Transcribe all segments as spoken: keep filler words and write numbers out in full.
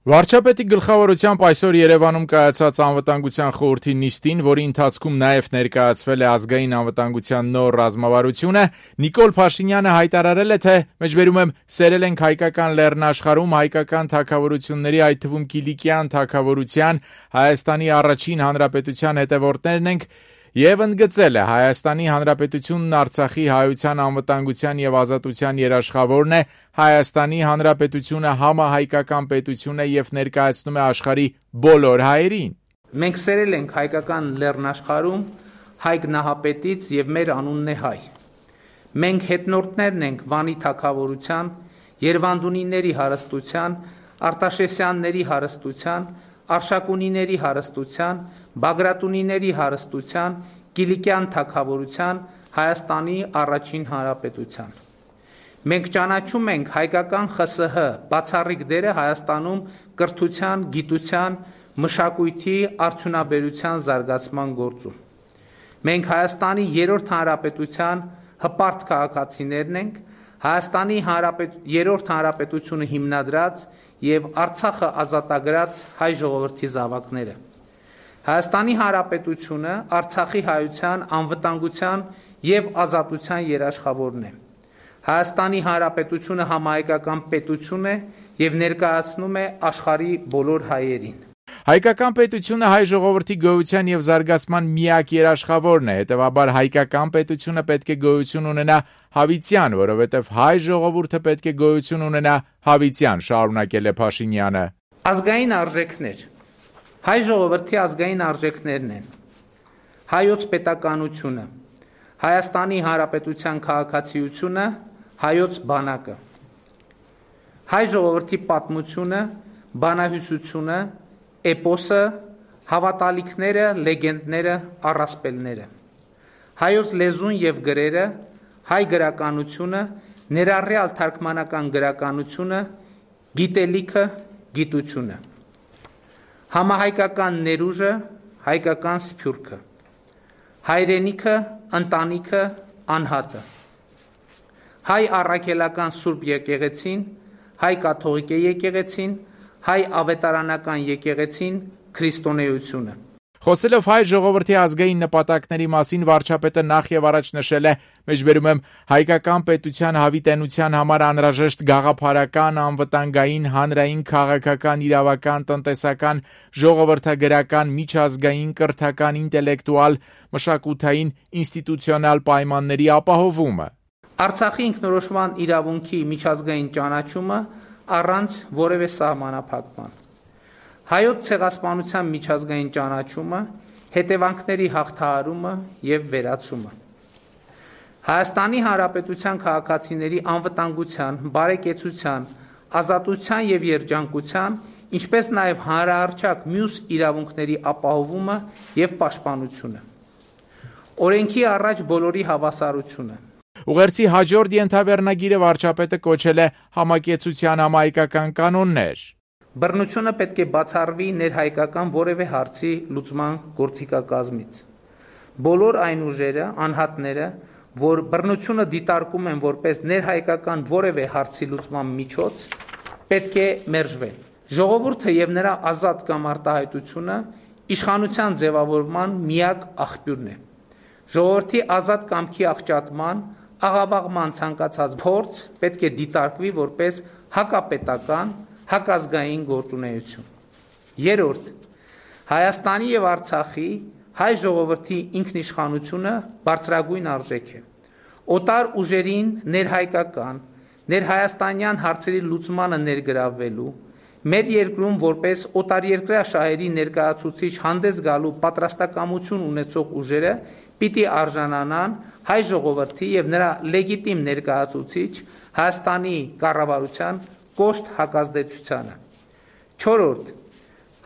Վարչապետի գլխավորությամբ այսօր Երևանում կայացած անվտանգության խորհրդի նիստին, որի ընթացքում նաև ներկայացվել է ազգային անվտանգության նոր ռազմավարությունը, Նիկոլ Փաշինյանը հայտարարել է, թե մեջբերում եմ սերել ենք հայկական լեռնաշխարհում հայկական թագավորությունների, այդ թվում Կիլիկյան թագավորության, Հայաստանի առաջին հանրապետության հետևորդներն ենք, եւ ընդգծել է Հայաստանի Հանրապետությունն Արցախի հայության անվտանգության եւ ազատության երաշխավորն է, Հայաստանի Հանրապետությունը համահայկական պետություն է եւ ներկայացնում է աշխարհի բոլոր հայերին։ Մենք սերել ենք հայկական լեռնաշխարհում Հայկ Նահապետից եւ մեր անունն է հայ։ Մենք հետնորդներն ենք Վանի թագավորության, Երևանդունիների հարստության, Արտաշեսյանների հարստության, Արշակունիների հարստության, Բագրատունիների հարստության, Կիլիկյան թագավորության, Հայաստանի առաջին հանրապետության։ Մենք ճանաչում ենք հայկական ԽՍՀ բացառիկ դերը Հայաստանում կրթության, գիտության, մշակույթի, արդյունաբերության զարգացման գործում։ Մենք Հայաստանի երրորդ հանրապետության հպարտ քաղաքացիներն ենք, Հայաստանի հանրապետ... երրորդ հանրապետությունը հիմնադրած եւ Արցախը ազատագրած հայ ժողովրդի զավակները։ Հայաստանի Հանրապետությունը Արցախի հայության անվտանգության եւ ազատության երաշխավորն է։ Հայաստանի Հանրապետությունը համահայկական պետություն է եւ ներկայացնում է աշխարհի բոլոր հայերին։ Հայկական պետությունը հայ ժողովրդի գոյության եւ զարգացման միակ երաշխավորն է, հետեւաբար հայկական պետությունը պետք է գոյություն ունենա հավիտյան, որովհետեւ հայ ժողովուրդը պետք է գոյություն ունենա հավիտյան, շարունակել է Փաշինյանը։ Ազգային արժեքներ Հայ ժողովրդի ազգային արժեքներն են հայոց պետականությունը, Հայաստանի Հանրապետության քաղաքացիությունը, հայոց բանակը, հայ ժողովրդի պատմությունը, բանահյուսությունը, էպոսը, հավատալիքները, լեգենդները, առասպելները, հայոց լեզուն եւ գրերը, հայ գրականությունը, ներառյալ թարգմանական գրականությունը, գիտելիքը, գիտությունը, համահայկական ներուժը, հայկական սփյուռքը, հայրենիքը, ընտանիքը, անհատը, հայ առաքելական Սուրբ եկեղեցին, հայ կաթողիկ եկեղեցին, հայ ավետարանական եկեղեցին, քրիստոնեությունը։ Խոսելով հայ ժողովրդի ազգային նպատակների մասին, վարչապետը նախ եւ առաջ նշել է, մեջբերում եմ հայկական պետության հավիտենության համար անհրաժեշտ գաղափարական, անվտանգային, հանրային, քաղաքական, իրավական, տնտեսական, ժողովրդագրական, միջազգային, կրթական, ինտելեկտուալ, մշակութային, ինստիտուցիոնալ պայմանների ապահովումը։ Արցախի ինքնորոշման իրավունքի միջազգային ճանաչումը առանց որևէ սահմանափակման։ Հայոց ցեղասպանության միջազգային ճանաչումը, հետևանքների հաղթահարումը եւ վերացումը։ Հայաստանի Հանրապետության քաղաքացիների անվտանգության, բարեկեցության, ազատության եւ երջանկության, ինչպես նաեւ հանրահռչակ մյուս իրավունքների ապահովումը եւ պաշտպանությունը։ Օրենքի առաջ բոլորի հավասարությունը։ Ուղերձի հաջորդ ենթավեռնագիրը վարչապետը կոչել է համակեցության համահայկական կանոններ։ Բռնությունը պետք է բացառվի ներհայկական որևէ հարցի լուծման գործիքակազմից։ Բոլոր այն ուժերը, անհատները, որ բռնությունը դիտարկում են որպես ներհայկական որևէ հարցի լուծման միջոց, պետք է մերժվեն։ Ժողովուրդը եւ նրա ազատ կամ արտահայտությունը իշխանության ձևավորման միակ աղբյուրն է։ Ժողովրդի ազատ կամքի աղճատման, աղավաղման ցանկացած փորձ պետք է դիտարկվի որպես հակապետական, հակազգային գործունեություն։ Երրորդ, Հայաստանի եւ Արցախի հայ ժողովրդի ինքնիշխանությունը բարձրագույն արժեք է։ Օտար ուժերին ներհայկական, ներհայաստանյան հարցերի լուծմանը ներգրավվելու, մեր երկրում որպես օտարերկրյա շահերի ներկայացուցիչ հանդես գալու պատրաստակամություն ունեցող ուժերը պիտի արժանանան հայ ժողովրդի եւ նրա լեգիտիմ ներկայացուցիչ Հայաստանի կառավարության կոշտ հակազդեցությանը։ Չորրորդ,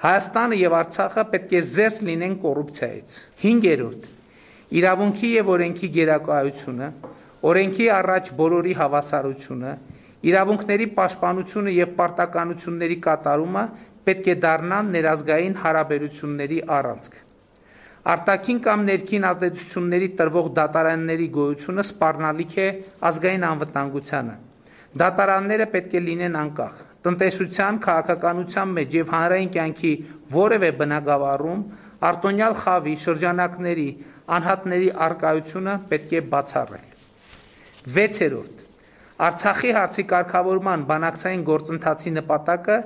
Հայաստանը եւ Արցախը պետք է զերծ լինեն կոռուպցիայից։ Հինգերորդ, իրավունքի եւ օրենքի գերակայությունը, օրենքի առաջ բոլորի հավասարությունը, իրավունքների պաշտպանությունը եւ պարտականությունների կատարումը պետք է դառնան ներազգային հարաբերությունների առանցք։ Արտաքին կամ ներքին ազդեցությունների տրվող դատարանների գոյությունը սպառնալիք է ազգային անվտանգությանը։ Դատարանները պետք է լինեն անկախ, տնտեսության, քաղաքականության մեջ եւ հանրային կյանքի որևէ բնագավառում արտոնյալ խավի շրջանակների անհատների արկայությունը պետք է բացառել։ վեցերորդ Արցախի հարցի կարգավորման բանակցային գործընթացի նպատակը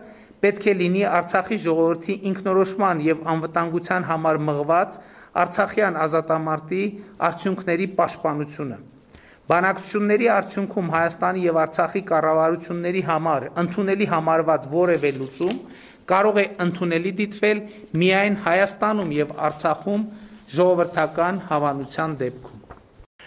պետք է լինի Արցախի ժողովրդի ինքնորոշման եւ անվտանգության համար մղված Արցախյան ազատամարտի արդյունքների պաշտպանությունը։ Բանակցությունների արդյունքում Հայաստանի եւ Արցախի կառավարությունների համար ընդունելի համարված որևէ լուծում կարող է ընդունելի դիտվել միայն Հայաստանում եւ Արցախում ժողովրդական հավանության դեպքում։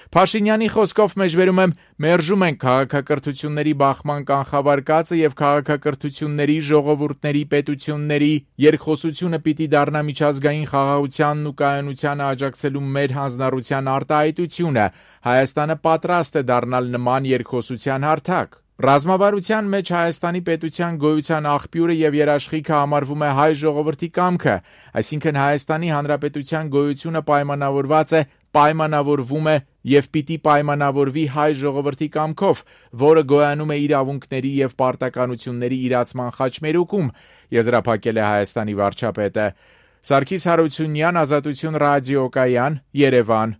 Փաշինյանի խոսքով մեջբերում եմ մերժում ենք քաղաքակրթությունների բախման կանխավարկածը եւ քաղաքակրթությունների, ժողովուրդների, պետությունների երկխոսությունը պիտի դառնա միջազգային խաղաղությանն ու կայունությանը աջակցելու մեր հանձնառության արտահայտությունը։ Հայաստանը պատրաստ է դառնալ նման երկխոսության հարթակ։ Ռազմավարության մեջ Հայաստանի պետության գոյության աղբյուրը եւ երաշխիքը համարվում է հայ ժողովրդի կամքը, այսինքն Հայաստանի Հանրապետության գոյությունը պայմանավորված է, պայմանավորվում է եւ պիտի պայմանավորվի հայ ժողովրդի կամքով, որը գոյանում է իրավունքների եւ պարտականությունների իրացման խաչմերուկում, եզրափակել է Հայաստանի վարչապետը։ Սարգիս Հարությունյան, Ազատություն ռադիոկայան, Երևան։